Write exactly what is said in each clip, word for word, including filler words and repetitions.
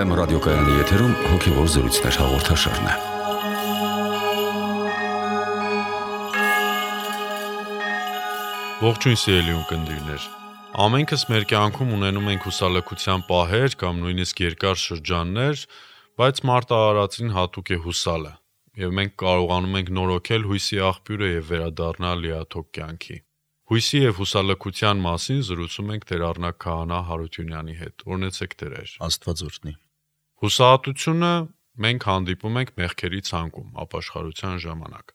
Վայեմ ռադիոկայանի եթերում հոգևոր զրույցներ հաղորդաշարն է։ Ողջույն սիրելի ունկնդիրներ։ Ամենքս մեր կյանքում ունենում ենք հուսալքության պահեր կամ նույնիսկ երկար շրջաններ, բայց մարդ արարածին հատուկ է հուսալը, եւ մենք կարողանում ենք նորոգել հույսի աղբյուրը եւ վերադառնալ լիաթոք կյանքի։ Հույսի եւ հուսալքության մասին զրուցում ենք Տեր Առնակ Քահանա Հարությունյանի հետ։ Օրհնեցեք Տերեր։ Աստված օրհնի։ Հուսահատությունը մենք հանդիպում ենք մեղքերի ցանկում, ապաշխարության ժամանակ։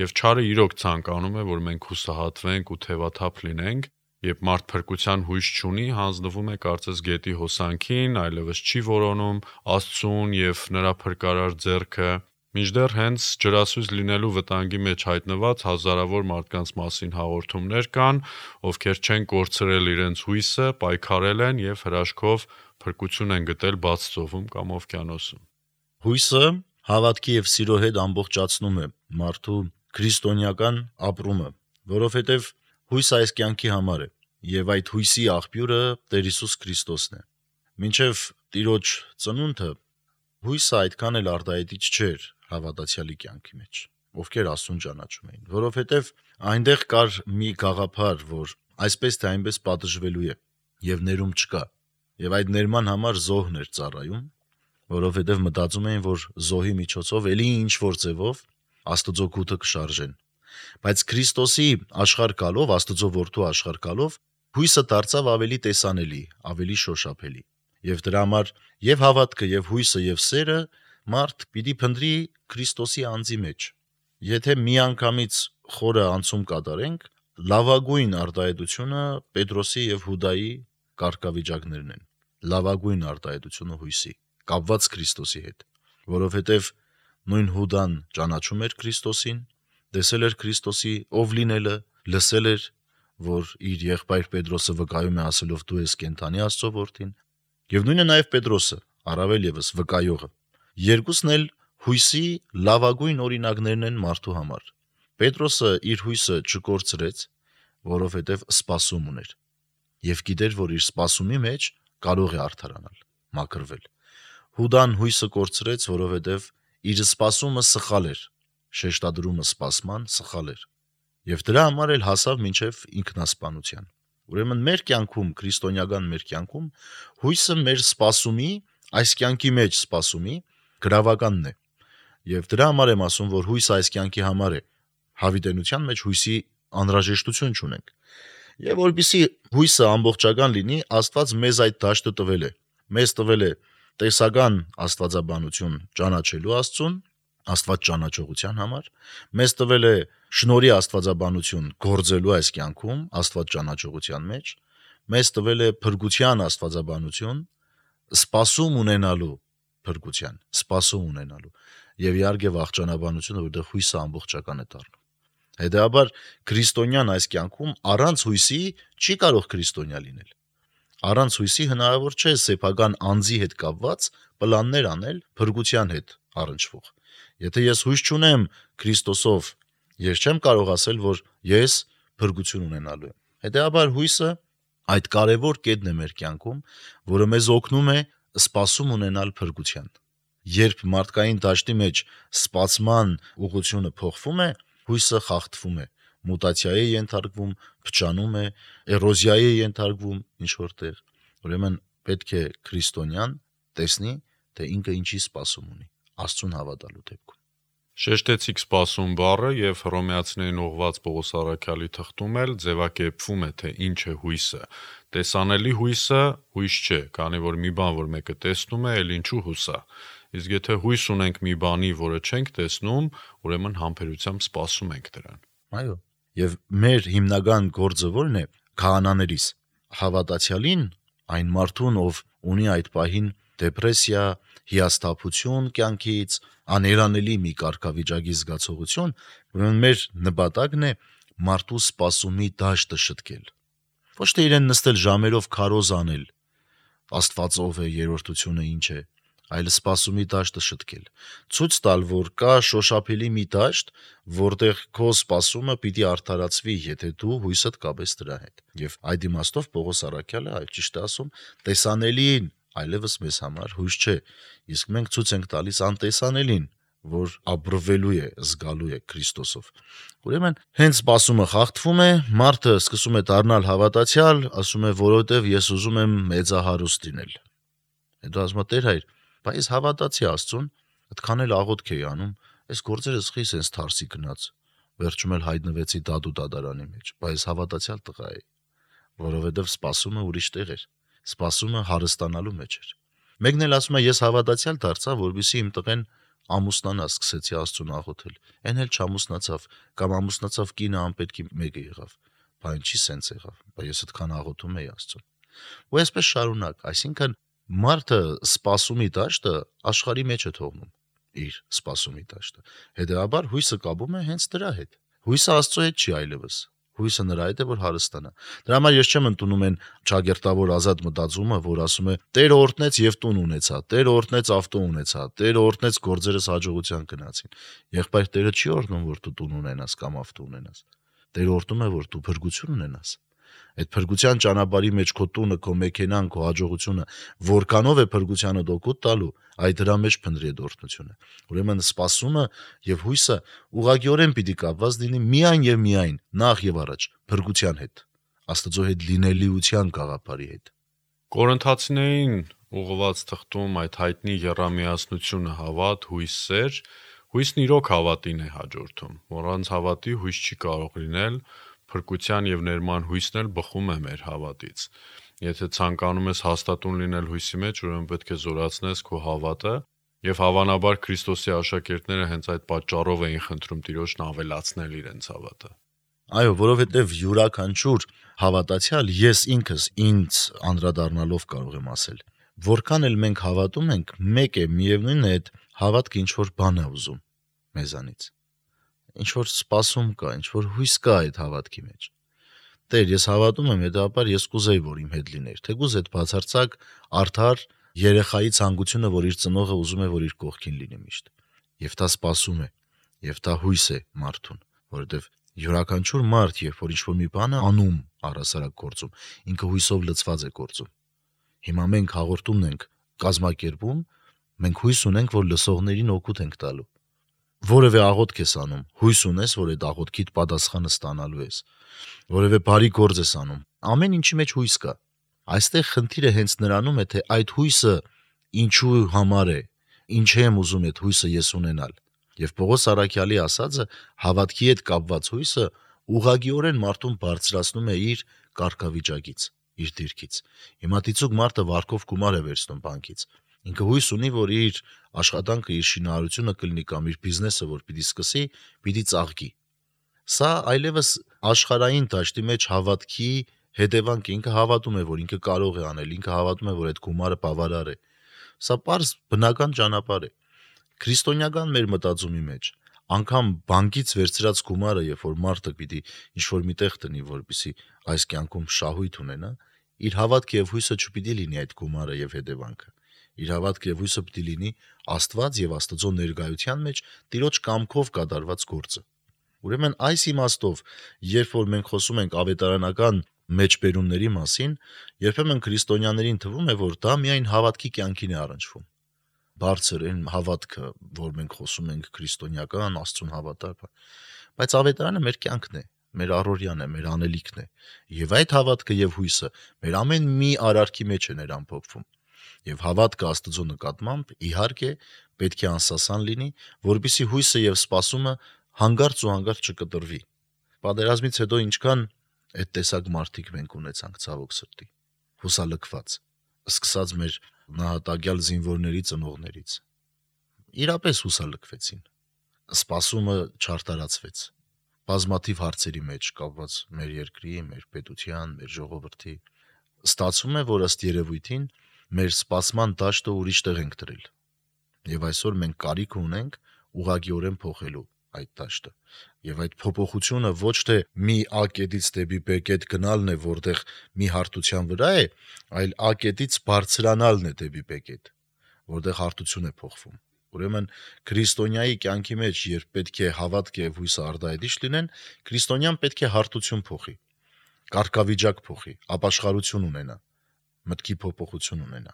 Եվ չարը իրոք ցանկանում է, որ մենք հուսահատվենք ու թևաթափ լինենք, երբ մարդ փրկության հույս չունի, հանձնվում է կարծես գետի հոսանքին, այլևս չի որոնում Աստծուն եւ նրա փրկարար ձեռքը, մինչդեռ հենց ջրասույզ լինելու վտանգի մեջ հայտնված հազարավոր մարդկանց մասին հաղորդումներ կան, ովքեր չեն կորցրել իրենց հույսը, պայքարել են եւ հրաշքով փրկություն են գտել բաց ծովում կամ օվկիանոսում։ Հույսը հավատքի եւ սիրո հետ ամբողջացնում է մարդու քրիստոնեական ապրումը, որովհետեւ հույսը այս կյանքի համար է, եւ այդ հույսի աղբյուրը Տեր Հիսուս Քրիստոսն է։ Մինչեւ Տիրոջ ծնունդը հույսը այդքան էլ արտահայտիչ չէր հավատացյալի կյանքի մեջ, ովքեր Աստծուն ճանաչում էին, որովհետեւ այնտեղ կար մի գաղափար, որ այսպես թե այնպես պատժվելու է եւ ներում չկա, եւ այդ ներման համար զոհն էր ծառայում, որովհետեւ մտածում էին, որ զոհի միջոցով ելի ինչ որ ձևով Աստծո գութը կշարժեն։ Բայց Քրիստոսի աշխարհ գալով, Աստծո որդու աշխարհ գալով, հույսը դարձավ ավելի տեսանելի, ավելի շոշափելի։ Եվ դրա համար եւ հավատքը, եւ հույսը, եւ սերը մարդ պիտի փնտրի Քրիստոսի անձի մեջ։ Եթե միանգամից խորը անցում կատարենք, լավագույն արտահայտությունը Պետրոսի եւ Հուդայի կարգավիճակներն են։ Լավագույն արտահայտությունը հույսի, կապված Քրիստոսի հետ, որովհետեւ նույն Հուդան ճանաչում էր Քրիստոսին, տեսել էր Քրիստոսի ով լինելը, լսել էր, որ իր եղբայր Պետրոսը վկայում է ասելով դու ես կենդանի Աստծո որդին, եւ նույնը նաեւ Պետրոսը, առավել եւս վկայողը։ Երկուսն էլ հույսի լավագույն օրինակներն են մարդու համար։ Պետրոսը իր հույսը չկորցրեց, որովհետեւ սպասում ուներ, եւ գիտեր, որ իր սպասումի մեջ կարող է արդարանալ, մաքրվել։ Հուդան հույսը կորցրեց, որովհետեւ իր սպասումը սխալ էր, շեշտադրումը սպասման սխալ էր, եւ դրա համար էլ հասավ մինչեւ ինքնասպանության։ Ուրեմն մեր կյանքում, քրիստոնեական մեր կյանքում, հույսը մեր սպասումի, այս կյանքի մեջ սպասումի գրավականն է։ Եվ դրա համար եմ ասում, որ հույսը այս կյանքի համար է, հավիտենության մեջ հույսի անհրաժեշտություն չունենք։ Եվ որպեսզի հույսը ամբողջական լինի, Աստված մեզ այդ դաշտը տվել է։ Մեզ տվել է տեսական աստվածաբանություն ճանաչելու Աստծուն, Աստված ճանաչողության համար, մեզ տվել է շնորհի աստվածաբանություն գործելու այս կյանքում, Աստված ճանաչողության մեջ, մեզ տվել է փրկության աստվածաբանություն, սպասում ունենալու փրկության, սպասում ունենալու, եւ իհարկե վախճանաբանությունը, որտեղ հույսը ամբողջական է դառնում։ Հետեւաբար քրիստոնյան այս կյանքում առանց հույսի չի կարող քրիստոնյա լինել։ Առանց հույսի հնարավոր չէ սեփական անձի հետ կապված պլաններ անել փրկության հետ առնչվող։ Եթե ես հույս չունեմ Քրիստոսով, ես չեմ կարող ասել, որ ես փրկություն ունենալու եմ։ Հետեւաբար հույսը այդ կարևոր կետն է մեր կյանքում, որը մեզ օգնում է սպասում ունենալ փրկության։ Երբ մարդկային դաշտի մեջ սպասման ուղղությունը փոխվում է, հույսը խախտվում է, մուտացիայի է ենթարկվում, փչանում է, էրոզիայի է ենթարկվում ինչ որտեղ։ Ուրեմն պետք է քրիստոնյան տեսնի, թե ինքը ինչի սպասում ունի Աստծուն հավատալու դեպքում։ Շեշտեցիք սպասում բառը եւ Հռոմեացիներին ուղված Պողոս առաքյալի թղթում էլ ձևակերպվում է, թե ինչ է հույսը։ Տեսանելի հույսը հույս չէ, քանի որ մի բան, որ մեկը տեսնում է, էլ ինչու հուսա։ Իսկ եթե հույս ունենք մի բանի, որը չենք տեսնում, ուրեմն համբերությամբ սպասում ենք դրան։ Այո։ Եվ մեր հիմնական գործը ո՞րն է։ Քահանաներիս հավատացյալին, այն մարդուն, ով ունի այդ պահին դեպրեսիա, հիասթափություն կյանքից, աներանելի մի կարգավիճակի զգացողություն, ուրեմն մեր նպատակն է մարդու սպասումի դաշտը շտկել։ Ոչ թե իրեն նստել ժամերով քարոզ անել, Աստված ով է, երրորդությունը ինչ է, այլ սպասումի դաշտը շտկել։ Ցույց տալ, որ կա շոշափելի մի դաշտ, որտեղ քո սպասումը պիտի արդարացվի, եթե դու հույսդ կապես դրա հետ։ Եվ այդ իմաստով Պողոս առաքյալը, այլ ճիշտ է ասում, տեսանելին այլևս մեզ համար հույս չէ, իսկ մենք ցույց ենք տալիս անտեսանելին, որ ապրվելու է, զգալու է Քրիստոսով։ Ուրեմն, հենց սպասումը խախտվում է, մարդը սկսում է դառնալ հավատացյալ, ասում է, որովհետև ես ուզում եմ մեծահարուստ լինել։ Հետո ասում է, Տեր հայր, բայց հավատացի Աստծուն, այդքան էլ աղոթք էի անում, այս գործերը սխի sense թարսի գնաց։ Վերջում էլ հայտնվեցի դադու դատարանի մեջ, բայց հավատացյալ տղա էի, որովհետև սպասումը ուրիշ տեղ էր, սպասումը հարստանալու մեջ էր։ Մեկն էլ ասում է, ես հավատացյալ դարձա, որովհետեւ իմ տղեն ամուսնանա, սկսեցի Աստծուն աղոթել։ Այն էլ չամուսնացավ, կամ ամուսնացավ կինը անպետքի մեկը եղավ։ Բա ինչի sense եղավ։ Բա ես այդքան աղոթում էի Աստծուն։ Ու այսպես շարունակ, այսինքն մարդը սպասումի դաշտը աշխարհի մեջ է թողնում իր սպասումի դաշտը։ Հետևաբար հույսը կապում է հենց դրա հետ։ Հույսը Աստծո հետ չի այլևս։ Հույսը նրա հետ է, որ հարստանա։ Դրա համար ես չեմ ընդունում այն ճագերտավոր ազատ մտածումը, որ ասում է. Տերը օրհնեց եւ տուն ունեցա, Տերը օրհնեց ավտո ունեցա, Տերը օրհնեց գործերս հաջողության գնացին։ Եղբայր, Տերը չի օրհնում, որ դու տուն ունենաս կամ ավտո ունենաս։ Տերը օրհնում է, որ դու փրկություն ունենաս։ Այդ փրկության ճանապարհի մեջ քո տունը, քո մեքենան, քո հաջողությունը որքանով է փրկությանը օգուտ տալու, այդ դրա մեջ փնտրի այդ օրհնությունը։ Ուրեմն սպասումը եւ հույսը ուղղակիորեն պիտի կապված լինի միայն եւ միայն նախ եւ առաջ փրկության հետ, Աստծո հետ լինելիության գաղափարի հետ։ Կորինթացիներին ուղղված թղթում այդ հայտնի եռամիասնությունը հավատ, հույս, սեր, հույսն իրոք հավատին է հաջորդում, որ առանց հավատի հույս չի կարող լինել, փրկության եւ ներման հույսն էլ բխում է մեր հավատից։ Եթե ցանկանում ես հաստատուն լինել հույսի մեջ, ուրեմն պետք է զորացնես քո հավատը, եւ հավանաբար Քրիստոսի աշակերտները հենց այդ պատճառով էին խնդրում Տիրոջն ավելացնել իրենց հավատը։ Այո, որովհետև յուրաքանչյուր հավատացյալ ես ինքս ինձ անդրադառնալով կարող եմ ասել, որքան էլ մենք հավատում ենք, մեկ է միևնույնն է այդ հավատքը ինչ որ բան է ուզում մեզանից։ Ինչ որ սպասում կա, ինչ որ հույս կա այդ հավատքի մեջ։ Տեր, ես հավատում եմ, հետաբար ես կուզեի, որ իմ հետ լիներ։ Թեկուզ այդ բացարձակ արդար երեխայի ցանկությունը, որ իր ծնողը ուզում է, որ իր կողքին լինի միշտ։ Եվ դա սպասում է, եւ դա հույս է մարդուն, որովհետեւ յուրաքանչյուր մարդ, երբ որ ինչ-որ մի բան է անում առասարակ գործում, ինքը հույսով լցված է գործում։ Հիմա մենք հաղորդումն ենք կազմակերպում, մենք հույս ունենք, որ լսողներին օգուտ ենք տալու։ Որևէ աղոթք ես անում, հույս ունես, որ այդ աղոթքիդ պատասխանը ստանալու ես։ Որևէ բարի գործ ես անում, ամեն ինչի մեջ հույս կա։ Այստեղ խնդիրը հենց նրանում է, թե այդ հույսը ինչու համար է, ինչ եմ ուզում այդ հույսը ես ունենալ։ Եվ Պողոս Առաքյալի ասածը հավատքի հետ կապված հույսը ուղղակիորեն մարդուն բարձրացնում է իր կարգավիճակից, իր դիրքից։ Հիմա դիցուկ մարդը վարկով գումար է վերցնում բանկից։ Ինքը հույս ունի, որ իր աշխատանքը, իր շինարարությունը կլինի կամ իր բիզնեսը, որ պիտի սկսի, պիտի ծաղկի։ Սա այլևս աշխարհային դաշտի մեջ հավատքի հետևանք է, ինքը հավատում է, որ ինքը կարող է անել, ինքը հավատում է, որ այդ գումարը բավարար է։ Սա պարզ բնական ճանապարհ է։ Քրիստոնեական մեր մտածումի մեջ անգամ բանկից վերցրած գումարը, երբ որ մարդը պիտի ինչ-որ միտեղ տնի, որպեսզի այս կյանքում շահույթ ունենա, իր հավատքը եւ հույսը չպիտի լինի այդ գումարը եւ հետևանքը։ Իր հավատքը եւ հույսը պիտի լինի Աստված եւ Աստծո ներկայության մեջ Տիրոջ կամքով կատարված գործը։ Ուրեմն այս իմաստով, երբ որ մենք խոսում ենք ավետարանական մեջբերումների մասին, երբեմն քրիստոնյաներին թվում է, որ դա միայն հավատքի կյանքին է առնչվում։ Բարձր այն հավատքը, որ մենք խոսում ենք քրիստոնեական Աստծուն հավատալ, բայց ավետարանը մեր կյանքն է, մեր առօրյան է, մեր անելիքն է, եւ այդ հավատքը եւ հույսը մեր ամեն մի արարքի մեջ է նրան փոխվում։ Եվ հավատքը Աստծո նկատմամբ իհարկե պետք է անսասան լինի, որպեսզի հույսը եւ սպասումը հանգարց ու հանգարց չկտրվի։ Պատերազմից հետո ինչքան այդ տեսակ մարդիկ մենք ունեցանք ցավոք սրտի, հուսալքված, սկսած մեր նահատակյալ զինվորների ծնողներից։ Իրապես հուսալքվեցին։ Սպասումը չարտարացվեց։ Բազմաթիվ հարցերի մեջ կապված մեր երկրի, մեր պետության, մեր ժողովրդի։ Ստացվում է, որ ըստ երևույթին մեր սպասման դաշտը ուրիշ տեղ ենք դրել։ Եվ այսօր մենք կարիք ունենք ուղղակիորեն փոխելու այդ դաշտը։ Եվ այդ փոփոխությունը ոչ թե մի A կետից դեպի B կետ գնալն է, որտեղ մի հարթության վրա է, այլ A կետից բարձրանալն է դեպի B կետ, որտեղ հարթություն է փոխվում։ Ուրեմն քրիստոնյայի կյանքի մեջ, երբ պետք է հավատքը եւ հույսը արդայդիշ լինեն, քրիստոնյան պետք է հարթություն փոխի, կարգավիճակ փոխի, ապաշխարություն ունենա։ մտքի փոփոխություն ունենա։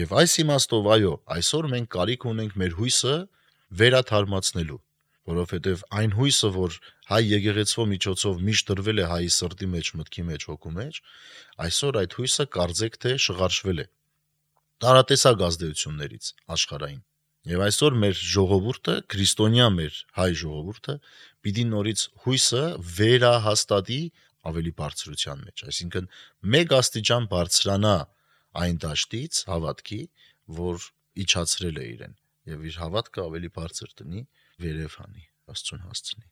Եվ այս իմաստով այո, այսօր մենք կարիք ունենք մեր հույսը վերաթարմացնելու, որովհետև այն հույսը, որ հայ եկեղեցվո միջոցով միշտ դրվել է հայի սրտի մեջ, մտքի մեջ, հոգու մեջ, այսօր այդ հույսը կարծեք թե շղարշվել է տարատեսակ ազդեցություններից աշխարհային։ Եվ այսօր մեր ժողովուրդը, քրիստոնյա մեր հայ ժողովուրդը, պիտի նորից հույսը վերահաստատի ավելի բարձրության մեջ, այսինքն մեկ աստիճան բարձրանա այն դաշտից հավատքի, որ իջացրել է իրեն, եւ իր հավատքը ավելի բարձր տնի, վերև հանի, Աստծուն հասցնի։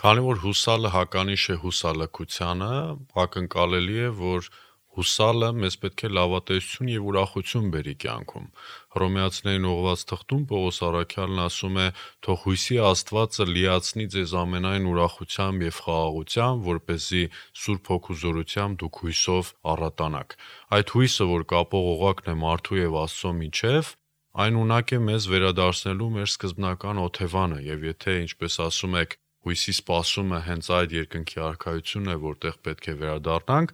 Քանի որ հուսալը հականիշ է հուսալքությանը, ակնկալելի է, որ հուսալը մեզ պետք է լավատեսություն եւ ուրախություն բերի կյանքում։ Հռոմեացիներին ուղված թղթում Պողոս առաքյալն ասում է. «Թող հույսի Աստվածը լիացնի ձեզ ամենայն ուրախությամբ եւ խաղաղությամբ, որպեսզի Սուրբ Հոգու զորությամբ դուք հույսով առատանաք»։ Այդ հույսը, որ կապող օղակն է մարդու եւ Աստծո միջև, այն ունակ է մեզ վերադարձնելու մեր սկզբնական օթևանը, եւ եթե, ինչպես ասում եք, հույսի սպասումը հենց այդ երկնքի արքայությունն է, որտեղ պետք է վերադառնանք,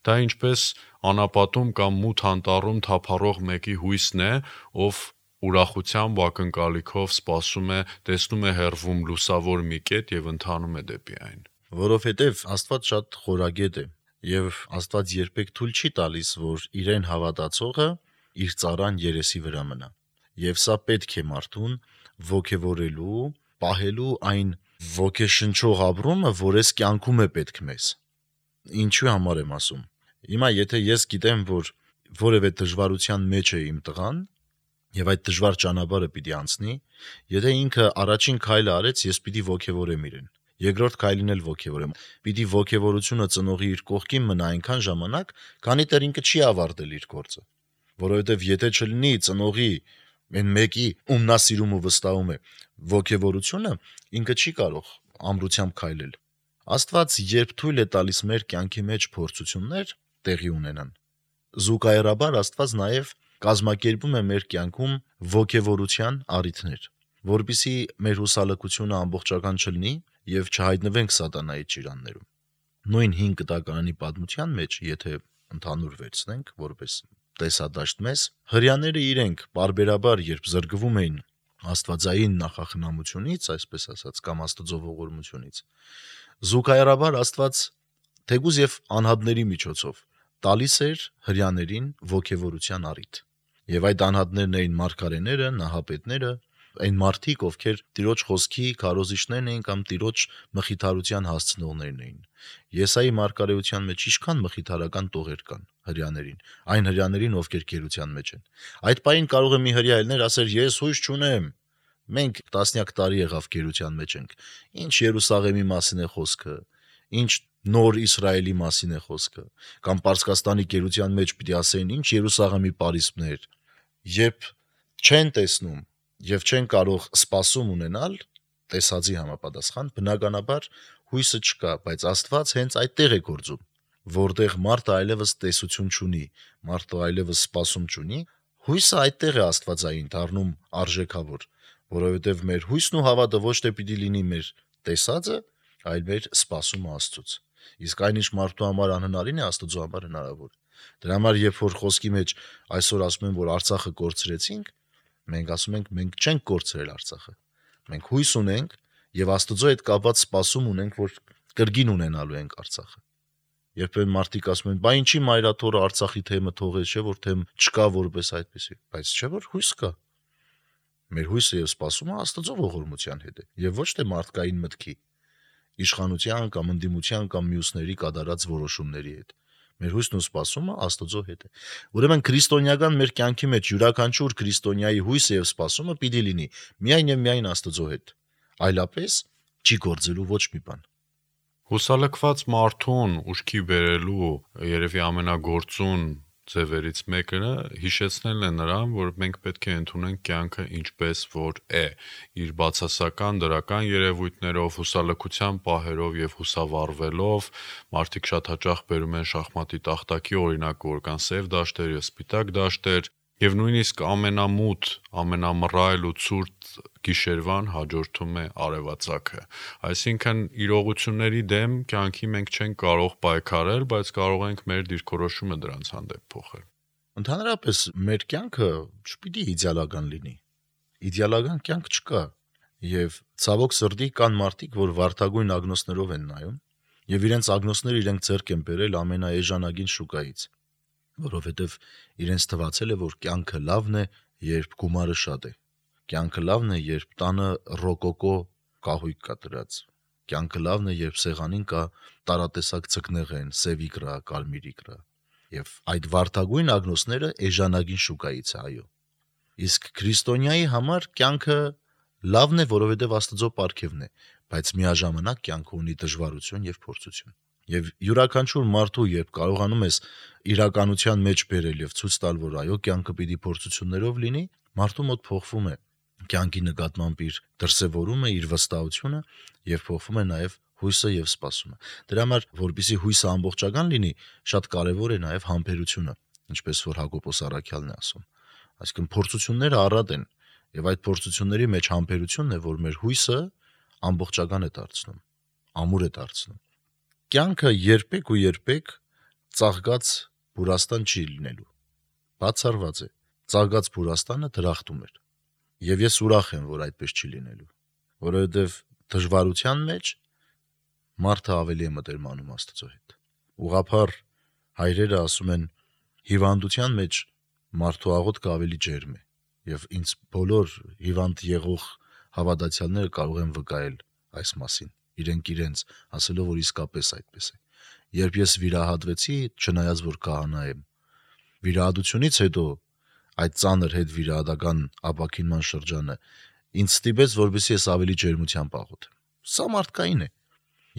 դա ինչպես անապատում կամ մութ անտառում թափառող մեկի հույսն է, ով ուրախությամբ ու ակնկալիքով սպասում է, տեսնում է հեռվում լուսավոր մի կետ եւ ընթանում է դեպի այն։ Որովհետև Աստված շատ խորագետ է, եւ Աստված երբեք թույլ չի տալիս, որ իրեն հավատացողը իր ծառան երեսի վրա մնա։ Եվ սա պետք է մարդուն ոգևորելու, պահելու այն ոգեշնչող ապրումը, որ ես կյանքում է պետք մեզ։ Ինչու համար եմ ասում։ Հիմա եթե ես գիտեմ, որ որևէ դժվարության մեջ է իմ տղան, եւ այդ դժվար ճանապարհը պիտի անցնի, եթե ինքը առաջին քայլը արեց, ես պիտի ոգևորեմ իրեն։ Երկրորդ քայլին էլ ոգևորեմ։ Պիտի ոգևորությունը ծնողի իր կողքին մնա այնքան ժամանակ, քանի դեռ ինքը չի ավարտել իր գործը։ Որովհետեւ եթե չլինի ծնողի այն մեկի, ում նա սիրում ու վստահում է, ոգևորությունը, ինքը չի կարող ամրությամբ քայլել։ Աստված երբ թույլ է տալիս մեր կյանքի մեջ փորձություններ տեղի ունենան, զուգահեռաբար Աստված նաև կազմակերպում է մեր կյանքում ոգևորության առիթներ, որպեսզի մեր հուսալքությունը ամբողջական չլինի եւ չհայտնվենք սատանայի ճիրաններում։ Նույն հինգ կտակարանի պատմության մեջ, եթե ընդհանուր վերցնենք, որպես տեսադաշտ մեզ, հրյաները իրենք բարբերաբար, երբ զրկվում էին աստվածային նախախնամությունից, այսպես ասած, կամ Աստծո ողորմությունից, զուգահեռաբար Աստված թեգուզ եւ անհատների միջոցով տալիս էր հրյաներին ոգևորության առիթ։ Եվ այդ անհատներն էին մարգարեները, նահապետները, այն մարդիկ, ովքեր Տիրոջ խոսքի քարոզիչներն էին կամ Տիրոջ մխիթարության հասցնողներն էին։ Եսայի մարգարեության մեջ ինչքան մխիթարական տողեր կան հրյաներին, այն հրյաներին, ովքեր գերության մեջ են։ Այդ պահին կարող է մի հրյա ելներ ասել. «Ես հույս չունեմ, մենք տասնյակ տարի եղավ գերության մեջ ենք, ինչ Երուսաղեմի մասին է խոսքը, ինչ նոր Իսրայելի մասին է խոսքը, կամ Պարսկաստանի գերության մեջ պիտի ասեին, ինչ Երուսաղեմի պարիսպներ», երբ չեն տեսնում եւ չեն կարող սպասում ունենալ տեսածի համապատասխան, բնականաբար հույսը չկա, բայց Աստված հենց այդտեղ է գործում, որտեղ մարդը այլևս տեսություն չունի, մարդը այլևս սպասում չունի, հույսը այդտեղ է աստվածային դառնում արժեքավոր, որովհետեւ մեր հույսն ու հավատը ոչ թե պիտի լինի մեր տեսածը, այլ մեր սպասումը Աստծուց։ Իսկ այնինչ մարդու համար անհնարին է, Աստծո համար հնարավոր։ Դրա համար երբ որ խոսքի մեջ այսօր ասում են, որ Արցախը կորցրեցինք, մենք ասում ենք, մենք չենք կորցրել Արցախը։ Մենք հույս ունենք եւ Աստծո հետ կապված սպասում ունենք, որ կրկին ունենալու ենք Արցախը։ Երբեմն մարդիկ ասում են, բա ինչի մայրաթորը Արցախի թեմը թողեց, չէ՞ որ թեմ չկա որպես այդպեսի, բայց չէ՞ որ հույս կա։ Մեր հույսը եւ սպասումը Աստծո ողորմության հետ է եւ ոչ թե մարդկային մտքի, իշխանության կամ ընդդիմության կամ մյուսների կատարած որոշումների հետ։ Մեր հույսն ու սպասումը Աստծո հետ է։ Ուրեմն քրիստոնեական մեր կյանքի մեջ յուրաքանչյուր քրիստոնյայի հույսը եւ սպասումը պիտի լինի միայն եւ միայն Աստծո հետ։ Այլապես չի գործելու ոչ մի բան։ Հուսալքված մարդուն ուշքի բերելու երևի ամենագործուն ձևերից մեկը հիշեցնելն է նրան, որ մենք պետք է ընդունենք կյանքը ինչպես որ է, իր բացասական դրական երևույթներով, հուսալքության պահերով եւ հուսավառվելով, մարդիկ շատ հաճախ բերում են շախմատի տախտակի օրինակ, որ կան սև դաշտեր եւ սպիտակ դաշտեր, եւ նույնիսկ ամենամութ, ամենամռայլ ու ցուրտ գիշերվան հաջորդում է արևածագը։ Այսինքն իրողությունների դեմ կյանքի մենք չենք կարող պայքարել, բայց կարող ենք մեր դիրքորոշումը դրանց հանդեպ փոխել։ Ընդհանրապես մեր կյանքը չպիտի իդեալական լինի։ Իդեալական կյանք չկա, եւ ցավոք սրտի կան մարդիկ, որ վարդագույն ագնոսներով են նայում, եւ իրենց ագնոսները իրենք ձեռք են բերել ամենաէժանագին շուկայից, որովհետեւ իրենց թվացել է, որ կյանքը լավն է, երբ գումարը շատ է։ Կյանքը լավն է, երբ տանը ռոկոկո կահույք կա դրած։ Կյանքը լավն է, երբ սեղանին կա տարատեսակ ցկնեղեն, սև իկրա, կարմիր իկրա։ Եվ այդ վարդագույն ագնոսները էժանագին շուկայից է, այո։ Իսկ քրիստոնյայի համար կյանքը լավն է, որովհետև Աստծո պարգևն է, բայց միաժամանակ կյանքը ունի դժվարություն եւ փորձություն։ Եվ յուրաքանչյուր մարդու, երբ կարողանում ես իրականության մեջ բերել եւ ցույց տալ, որ այո, կյանքը պիտի փորձություններով լինի, մարդու մոտ փոխվում է կյանքի նկատմամբ իր դրսևորումը, իր վստահությունը եւ փոխվում է նաեւ հույսը եւ սպասումը։ Դրա համար, որպեսզի հույսը ամբողջական լինի, շատ կարեւոր է նաեւ համբերությունը, ինչպես որ Հակոբոս Առաքյալն է ասում։ Այսինքն փորձությունները առատ են եւ այդ փորձությունների մեջ համբերությունն է, որ մեր հույսը ամբողջական է դարձնում, ամուր է դարձնում։ Կյանքը երբեք ու երբեք ծաղկած բուրաստան չի լինելու։ Բացառված է։ Ծաղկած բուրաստանը դրախտում է։ Եվ ես ուրախ եմ, որ այդպես չի լինելու, որովհետև դժվարության մեջ մարդը ավելի է մտերմանում Աստծո հետ։ Ուղղափառ հայրերը ասում են, հիվանդության մեջ մարդու աղոթքը ավելի ջերմ է, եւ ինձ բոլոր հիվանդ եղող հավատացյալները կարող են վկայել այս մասին, իրենք իրենց, ասելով, որ իսկապես այդպես է։ Երբ ես վիրահատվեցի, չնայած որ քահանա եմ, վիրահատությունից հետո այդ ծանր հետ վիրահատական ապաքինման շրջանը ինձ ստիպեց, որպեսզի ես ավելի ջերմությամբ աղոթեմ։ Սա մարդկային է։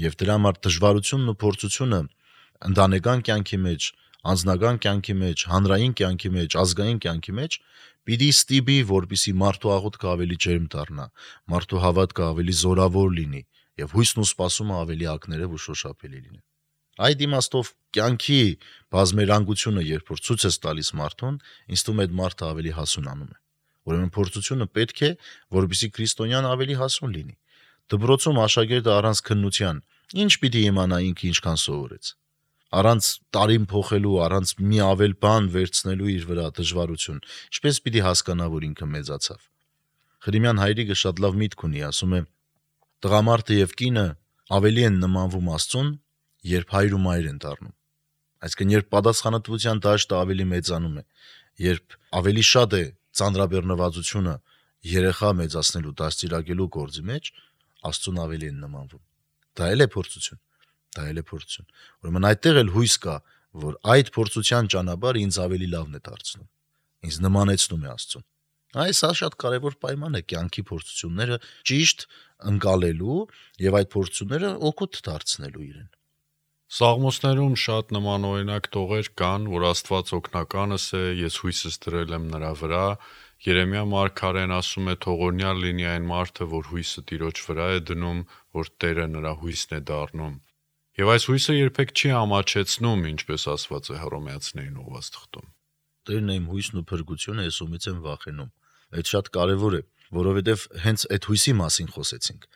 Եվ դրա համար դժվարությունն ու փորձությունը ընտանեկան կյանքի մեջ, անձնական կյանքի մեջ, հանրային կյանքի մեջ, ազգային կյանքի մեջ պիտի ստիպի, որպեսզի մարդու աղոթքը ավելի ջերմ դառնա, մարդու հավատքը ավելի զորավոր լինի եւ հույսն ու սպասումը ավելի ակներև ու շոշափելի լինի։ Այդ իմաստով կյանքի բազմերանգությունը, երբ որ ցույց ես տալիս մարդուն, ինձ թվում է այդ մարդը ավելի հասունանում է։ Ուրեմն փորձությունը պետք է, որպեսզի քրիստոնյան ավելի հասուն լինի։ Դպրոցում աշակերտը առանց քննության ինչ պիտի իմանա ինքը ինչքան սովորեց։ Առանց տարին փոխելու, առանց մի ավել բան վերցնելու իր վրա դժվարություն, ինչպես պիտի հասկանա, որ ինքը մեծացավ։ Խրիմյան հայրիկը շատ լավ միտք ունի, ասում է. տղամարդը եւ կինը ավելի են նմանվում Աստծուն, երբ հայր ու մայր են դառնում։ Այսինքն, երբ պատասխանատվության դաշտը ավելի մեծանում է, երբ ավելի շատ է ծանրաբեռնվածությունը երեխա մեծացնելու, դաստիարակելու գործի մեջ, Աստծուն ավելի են նմանվում։ Դա էլ է փորձություն, դա էլ է փորձություն։ Ուրեմն այդտեղ էլ հույս կա, որ այդ փորձության ճանապարհը ինձ ավելի լավն է դարձնում, ինձ նմանեցնում է Աստծուն։ Այս սա շատ կարևոր պայման է կյանքի փորձությունները ճիշտ ընկալելու եւ այդ փորձությունները օգուտ դարձնելու իրեն։ Սաղմոսներում շատ նմանօրինակ տողեր կան, որ Աստված օգնականս է, ես հույսս դրել եմ նրա վրա։ Երեմիա մարգարեն ասում է, թողորնյալ լինի այն մարդը, որ հույսը Տիրոջ վրա է դնում, որ Տերը նրա հույսն է դառնում։ Եվ այս հույսը երբեք չի ամաչեցնում, ինչպես ասված է Հռոմեացիներին ուղված թղթում։ Տերն է իմ հույսն ու փրկությունը, ես ումից եմ վախենում։ Այդ շատ կարևոր է, որովհետև հենց այդ հույսի մասին խոսեցինք։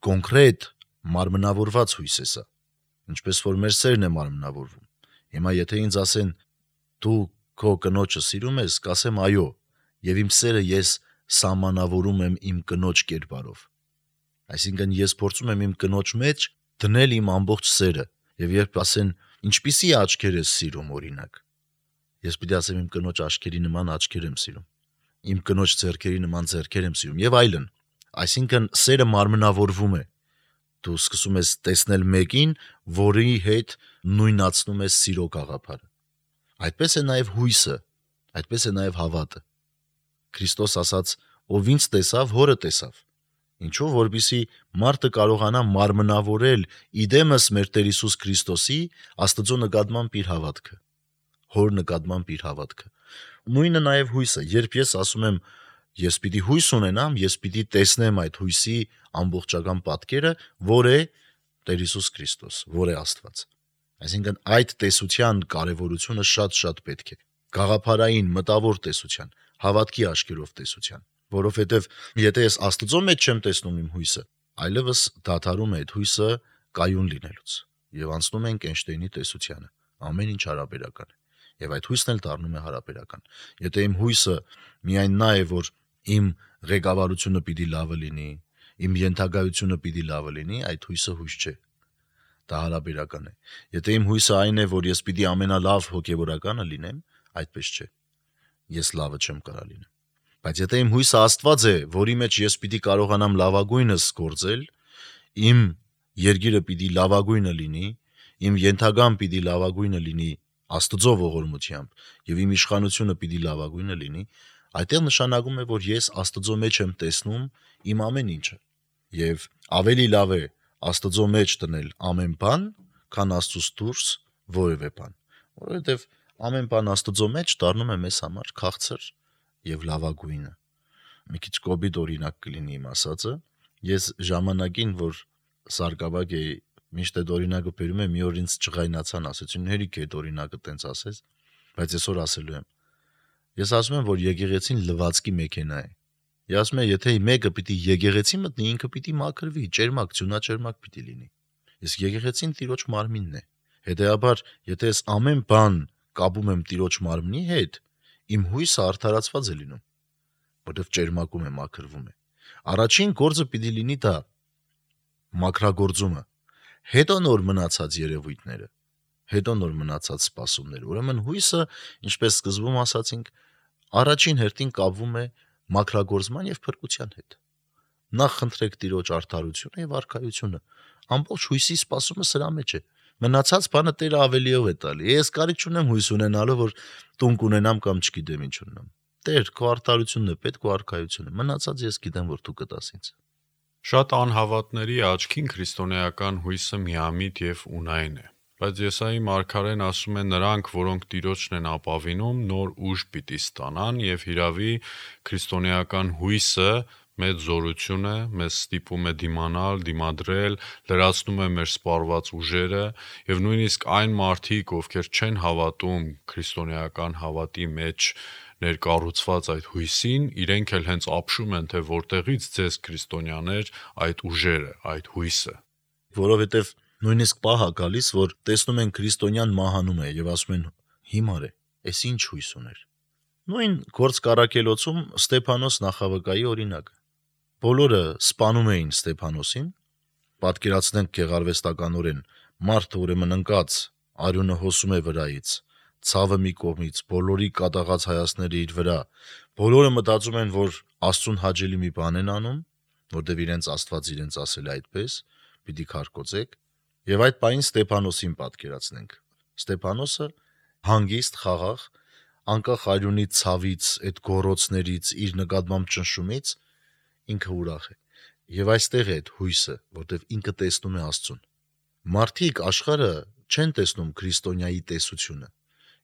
Կոնկրետ մարմնավորված հույս է սա, ինչպես որ մեր սերն է մարմնավորվում։ Հիմա եթե ինձ ասեն, դու քո կնոջը սիրում ես, կասեմ այո, եւ իմ սերը ես սահմանավորում եմ իմ կնոջ կերպարով։ Այսինքն ես փորձում եմ իմ կնոջ մեջ դնել իմ ամբողջ սերը, եւ երբ ասեն, ինչպիսի աչքեր ես սիրում, օրինակ, ես պիտի ասեմ իմ կնոջ աչքերի նման աչքեր եմ սիրում, իմ կնոջ ձեռքերի նման ձեռքեր եմ սիրում եւ այլն։ Այսինքն սերը մարմնավորվում է։ Դու սկսում ես տեսնել մեկին, որի հետ նույնացնում ես սիրո գաղափարը։ Այդպես է նաեւ հույսը, այդպես է նաեւ հավատը։ Քրիստոս ասաց, ով ինձ տեսավ, հորը տեսավ։ Ինչու, որպեսզի մարդը կարողանա մարմնավորել իդեմս մեր Տեր Հիսուս Քրիստոսի Աստծո նկատմամբ իր հավատքը, հոր նկատմամբ իր հավատքը։ Նույնը նաեւ հույսը, երբ ես ասում եմ, ես պիտի հույս ունենամ, ես պիտի տեսնեմ այդ հույսի ամբողջական պատկերը, որ է Տեր Հիսուս Քրիստոս, որ է Աստված։ Այսինքն այդ տեսության կարևորությունը շատ-շատ պետք է։ Գաղափարային, մտավոր տեսության, հավատքի աչքերով տեսության, որովհետև եթե ես Աստծո մեջ չեմ տեսնում իմ հույսը, այլևս դադարում է այդ հույսը կայուն լինելուց եւ անցնում ենք Էյնշտեյնի տեսությանը, ամեն ինչ հարաբերական է։ Եվ այդ հույսն էլ դառնում է հարաբերական։ Եթե իմ հույսը միայն նա է, որ իմ ղեկավարությունը պիտի լավը լինի, իմ ենթագայությունը պիտի լավը լինի, այդ հույսը հույս չէ։ Դա հարաբերական է։ Եթե իմ հույսը այն է, որ ես պիտի ամենալավ հոգևորականը լինեմ, այդպես չէ։ Ես լավը չեմ կարա լինեմ։ Բայց եթե իմ հույսը Աստված է, որի մեջ ես պիտի կարողանամ լավագույնս գործել, իմ երկիրը պիտի լավագույնը լինի, իմ ենթագան պիտի լավագույնը լինի Աստծո ողորմությամբ եւ իմ իշխանությունը պիտի լավագույնը լինի, այդտեղ նշանակում է, որ ես Աստծո մեջ եմ տեսնում իմ ամեն ինչը։ Եվ ավելի լավ է Աստծո մեջ դնել ամեն բան, քան Աստծուց դուրս որևէ բան, որովհետեւ ամեն բան Աստծո մեջ դառնում է մեզ համար քաղցր եւ լավագույնը։ Մի քիչ կոպիտ օրինակ կլինի իմ ասածը, ես ժամանակին, որ սարկավակ էի, միշտ այդ օրինակը բերում եմ, մի օր ինձ ջղայնացան, ասեցին հերիք է այդ օրինակը տենց ասես, բայց այսօր ասելու եմ։ Ես ասում եմ, որ եկեղեցին լվացքի մեքենա է։ Ես ասում եմ, եթե մեկը պիտի եկեղեցի մտնի, ինքը պիտի մաքրվի, ճերմակ, ձյունաճերմակ պիտի լինի։ Իսկ եկեղեցին Տիրոջ մարմինն է։ Հետեւաբար, եթե ես ամեն բան կապում եմ Տիրոջ մարմնի հետ, իմ հույսը արդարացված է լինում, որովհետև ճերմակում է, մաքրվում է։ Առաջին գործը պիտի լինի դա մաքրագործումը, հետո նոր մնացած երևույթները, հետո նոր մնացած սպասումները։ Ուրեմն հույսը, ինչպես սկզբում ասացինք, առաջին հերթին կապվում է մաքրագործման եւ փրկության հետ։ Նախ խնդրեք Տիրոջ արդարությունը եւ արքայությունը։ Ամբողջ հույսի սպասումը սրա մեջ է։ Մնացած բանը Տերը ավելիով է տալի։ Ես կարիք չունեմ հույս ունենալու, որ տուն կունենամ կամ չգիտեմ ինչ ունենամ։ Տեր, քո արդարությունն է պետք, քո արքայությունը։ Մնացած ես գիտեմ, որ դու կտաս ինձ։ Շատ անհավատների աչքին քրիստոնեական հույսը միամիտ եւ ունայն է, բայց Եսայի մարգարեն ասում է նրանք, որոնք Տիրոջն են ապավինում, նոր ուժ պիտի ստանան եւ հիրավի քրիստոնեական հույսը մեծ զորություն է, մեզ ստիպում է դիմանալ, դիմադրել, լրացնում է մեր սպառված ուժերը եւ նույնիսկ այն մարդիկ, ովքեր չեն հավատում քրիստոնեական հավատի մեջ ներկառուցված այդ հույսին, իրենք էլ հենց ապշում են, թե որտեղից ձեզ քրիստոնյաներ այդ ուժերը, այդ հույսը։ Որովհետեւ նույնիսկ պահ է գալիս, որ տեսնում են քրիստոնյան մահանում է եւ ասում են հիմար է, էս ինչ հույս ուներ։ Նույն գործ Կարակելոցում Ստեփանոս նախավկայի օրինակ։ Բոլորը սպանում էին Ստեփանոսին, պատկերացնենք գեղարվեստականորեն, մարդը ուրեմն ընկած, արյունը հոսում է վրայից, ցավը մի կողմից, բոլորի կատաղած հայացները իր վրա, բոլորը մտածում են, որ Աստծուն հաճելի մի բան են անում, որտեղ իրենց Աստված իրենց ասել է այդպես, պիտի քարկոծեք, եւ այդ պայն Ստեփանոսին պատկերացնենք։ Ստեփանոսը հանգիստ, խաղաղ, անկախ արյունի ցավից, այդ գոռոցներից, իր նկատմամբ ճնշումից ինքը ուրախ է։ Եվ այստեղ է այդ հույսը, որտեղ ինքը տեսնում է Աստծուն։ Մարդիկ աշխարհը չեն տեսնում քրիստոնյայի տեսությունը։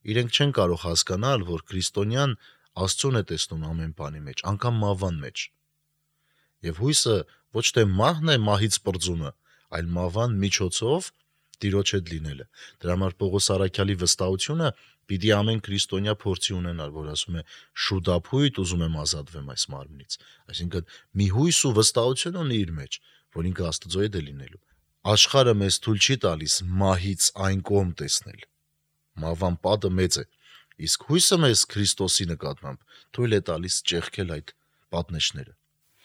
Իրենք չեն կարող հասկանալ, որ քրիստոնյան Աստծուն է տեսնում ամեն բանի մեջ, անգամ մահվան մեջ։ Եվ հույսը ոչ թե մահն է մահից պրծումը, այլ մահվան միջոցով Տիրոջ հետ լինելը։ Դրա համար Պողոս առաքյալի վստահությունը պիտի ամեն քրիստոնյա փորձի ունենալ, որ ասում է շուտափույթ ուզում եմ ազատվեմ այս մարմնից։ Այսինքն մի հույս ու վստահություն ունի իր մեջ, որ ինքը Աստծո հետ է լինելու։ Աշխարհը մեզ թույլ չի տալիս մահից այն կողմ տեսնել։ Մահվան պատը մեծ է, իսկ հույսը մեզ Քրիստոսի նկատմամբ թույլ է տալիս ճեղքել այդ պատնեշները։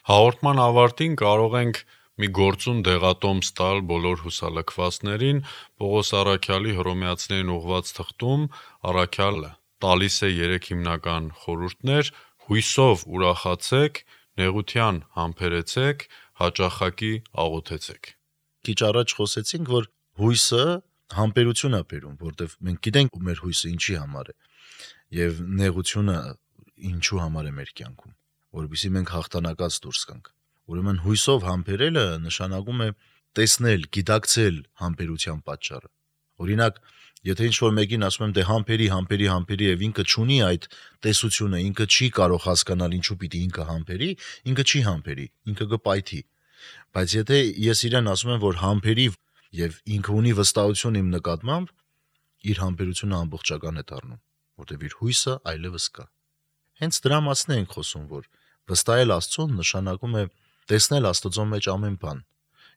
Հաղորդման ավարտին կարող ենք մի գործուն դեղատոմս տալ բոլոր հուսալքվածներին։ Պողոս առաքյալի Հռոմեացիներին ուղված թղթում առաքյալը տալիս է երեք հիմնական խորհուրդներ. հույսով ուրախացեք, նեղության համբերեցեք, հաճախակի աղոթեցեք։ Քիչ առաջ խոսեցինք, որ հույսը համբերություն է բերում, որտեղ մենք գիտենք մեր հույսը ինչի համար է, եւ նեղությունը ինչու համար է մեր կյանքում, որովհետեւ մենք հաղթանակած դուրս գանք։ Ուրեմն հույսով համբերելը նշանակում է տեսնել, գիտակցել համբերության պատճառը։ Օրինակ, եթե ինչ-որ մեկին ասում եմ, դե համբերի, համբերի, համբերի եւ ինքը չունի այդ տեսությունը, ինքը չի կարող հասկանալ ինչու պիտի ինքը համբերի, ինքը չի համբերի, ինքը կպայթի։ Բայց եթե ես իրեն ասում եմ, որ համբերի եւ ինքը ունի վստահություն իմ նկատմամբ, իր համբերությունը ամբողջական է դառնում, որտեղ իր հույսը այլևս կա։ Հենց դրա մասն ենք խոսում, որ վստահել Աստծուն նշանակում է տեսնել Աստծո մեջ ամեն բան։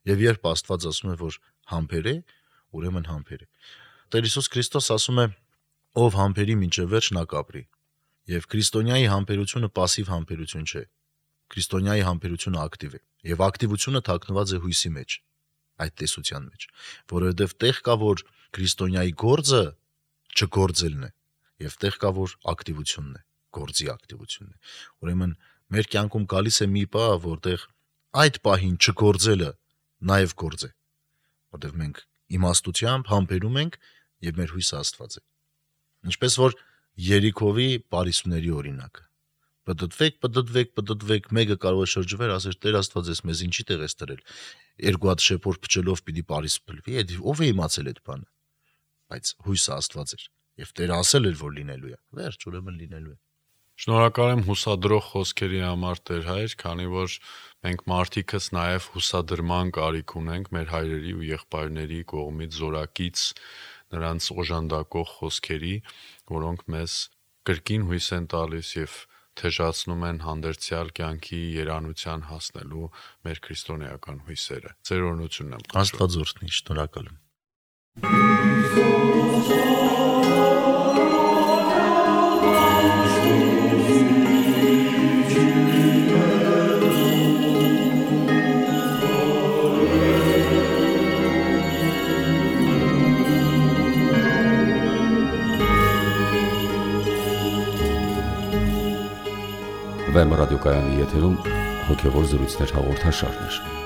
Եվ երբ Աստված ասում է, որ համբեր է, ուրեմն համբեր է։ Տեր Հիսուս Քրիստոս ասում է. ով համբերի մինչև վերջ նա կապրի։ Եվ քրիստոնյայի համբերությունը пассив համբերություն չէ։ Քրիստոնյայի համբերությունը ակտիվ է, եւ ակտիվությունը թաքնված է հույսի մեջ, այդ տեսության մեջ, որովհետեւ տեղ կա, որ քրիստոնյայի գործը չգործելն է, եւ տեղ կա, որ ակտիվությունն է, գործի ակտիվությունն է։ Ուրեմն մեր կյանքում գալիս է մի պահ, որտեղ այդ պահին չգործելը նաեւ գործ է, որտեղ մենք իմաստությամբ համբերում ենք եւ մեր հույսը Աստված է։ Ինչպես որ Երիքովի Պարիսուների օրինակը։ Պտտվեք, պտտվեք, պտտվեք, մեկը կարող է շրջվել, ասել Տեր Աստված, ես մեզ ինչի տեղ ես տրել։ Երկու հատ շեփոր փչելով պիտի Պարիս փլվի, այդ ով է իմացել այդ բանը։ Բայց հույսը Աստված էր, եւ Տերը ասել էր, որ լինելու է։ Վերջ, ուրեմն լինելու է։ Շնորհակալ եմ հուսադրող խոսքերի համար, Տեր Հայր, քանի որ մենք մարդիկս նաև հուսադրման կարիք ունենք մեր հայրերի ու եղբայրների կողմից զորակից նրանց օժանդակող խոսքերի, որոնք մեզ կրկին հույս են տալիս եւ թեժացնում են հանդերձյալ կյանքի երանության հասնելու մեր քրիստոնեական հույսերը։ Ձեր օրհնությունն եմ։ Աստված օրհնի, շնորհակալ եմ։ Վեմ ռադիոկայանի եթերում հոգևոր զրույցներ հաղորդաշարներ։